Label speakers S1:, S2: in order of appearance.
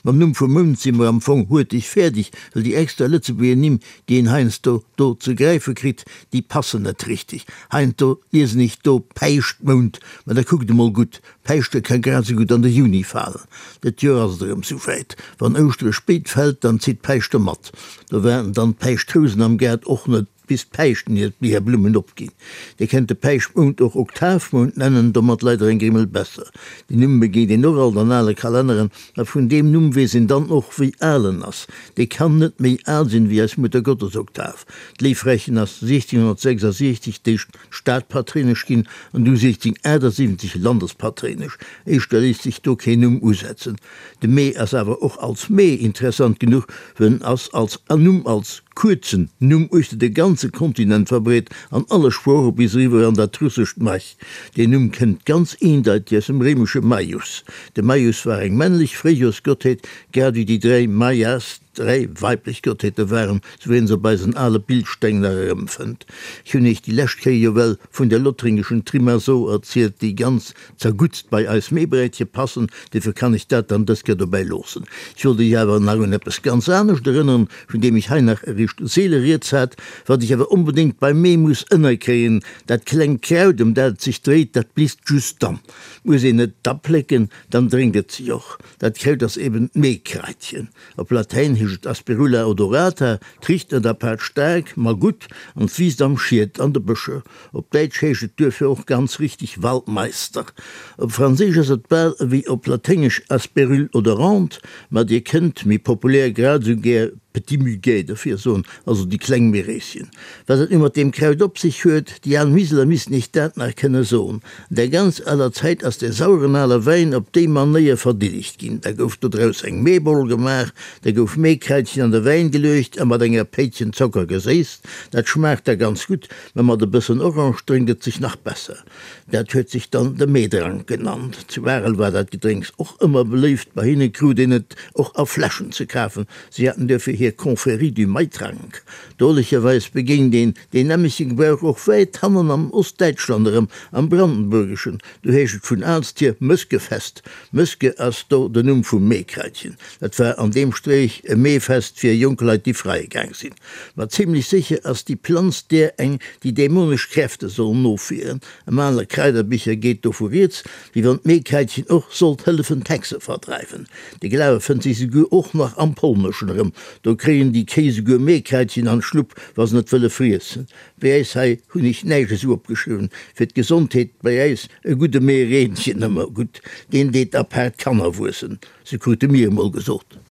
S1: Mam Numm vum Mount si mer am Fong huerteg fäerdeg, well déi extra Lëtzebuerger Nimm, déi een heiansdo do ze gräife kritt, déi passen net richteg. Heiansdo liesen ech do Päischtmount, mä da kuckt emol gutt, Päischte ka grad esou gutt an de Juni falen. Dat Joer ass et erëm souwäit. Wann Ouschtere spéit fält, dann zitt Päischte mat. Do waarden dann d'Päischtrousen am Gaart och net bis d'Päischten hir hir Blummen opginn. Dir kennt de Päischtmount och Oktavmount nennen, domat leider eng Grimmel besser. Deen Numm begéint een och alt an ale Kalenneren, a vun deem Numm weess een dann och wéi al en ass. Dee kann net méi al sinn wéi eis Muttergottesoktav. D'Léiffrächen ass 1666 d'éischt Stadpatréinesch ginn an du 1678 Landespatréinesch. Éischter léisst sech do keen Numm usetzen. De Mee ass awer och als Mee interessant genuch, well en ass als Numm, als kuerzen Numm uechter de ganze Kontinent verbreet, an alle Sprooche bis eriwwer an dat russescht Maj. Deen Numm kënnt ganz eendeiteg aus dem réimesche Maius. De Maius war eng männlech Fréijoersgottheet, grad ewéi déi 3 Maias 3 weiblech Gottheete waren, sou wéi een se op eisen ale Bildsteng nach erëmfënnt. Ech hunn iech déi lescht Kéier jo well vun der lothringeschen Trimaso erzielt, déi ganz zerguttst bei eis Meebräitche passen, duerfir kann ech dat dann dës Kéier dobäi loossen. Ech wollt iech awer nach un eppes ganz anescht erënneren, vun deem ech hei nach eréischt seele rieds hat, wat ech awer onbedéngt beim Mee muss ënnerkréien, Dat klengt Kraut, ëm dat et sech dréit, dat blisst just dann. Muss een et da plécken, dann drénkt et sech och. Dat Kraut ass eben d'Meekraitchen. Op Latäin heescht et Asperula odorata, 't richt net apaart staark, ma gutt an 't wiisst am Schiet an de Bëscher. Op Däitsch heescht et duerfir och ganz richteg Waldmeister. Op Franséisch ass et bal ewéi op Laténgesch Asperule odorante, ma dir kënnt, méi populär, grad esou gär Petit muguet derfir soen, also déi kleng Meeréischen. Wat et nu mat deem Kraut op sech huet, déi al Miseler missten iech dat nach kënne soen. An der ganz aler Zäit ass dee saueren ale Wäin op déi Manéier verdillegt ginn. Da gouf dodraus eng Meeboll gemaach, da gouf Meekraitchen an de Wäin geluecht a mat enger Péitchen Zocker geséisst. Dat schmaacht da ganz gutt. Mä mat e bëssen Orange drénkt et sech nach besser. Dat huet sech dann de Meedrank genannt. Zu Arel war dat Gedrénks och ëmmer beléift. Bei hinne krut een et och a Fläschen ze kafen. Si haten duerfir hir Confrérie du Maitrank. Drolecherweis begéint een deen nämmleche Gebrauch och wäit hannen am Ostdäitschland erëm, am Brandenburgeschen. Do heescht et vun aalst hier Mëskefest. Mëske ass do den Numm vum Meekraitchen. Dat war an deem Streech e Meefest fir jonk Leit, déi freie gaang sinn. Ma zimlech sécher ass déi Planz där eng, déi dämonesch Kräfte soll nofwieren. Am ale Kraiderbicher geet dovu rieds, wéi wann d'Meekraitchen och sollt hëllefen d'Hexe verdreiwen. De Glawe fënnt sech souguer och nach am Polneschen erëm. Do kréien déi Kéi souguer Meekraitchen an d'Schlupp, wa se net wëlle friessen. Bei äis hei hunn ech näischt esou opgeschriwwen. Fir d'Gesondheet bei äis e gudde Meereenchen ëmmer gutt, deen deet apaart Kanner wuessen, sou krute mir emol gesot.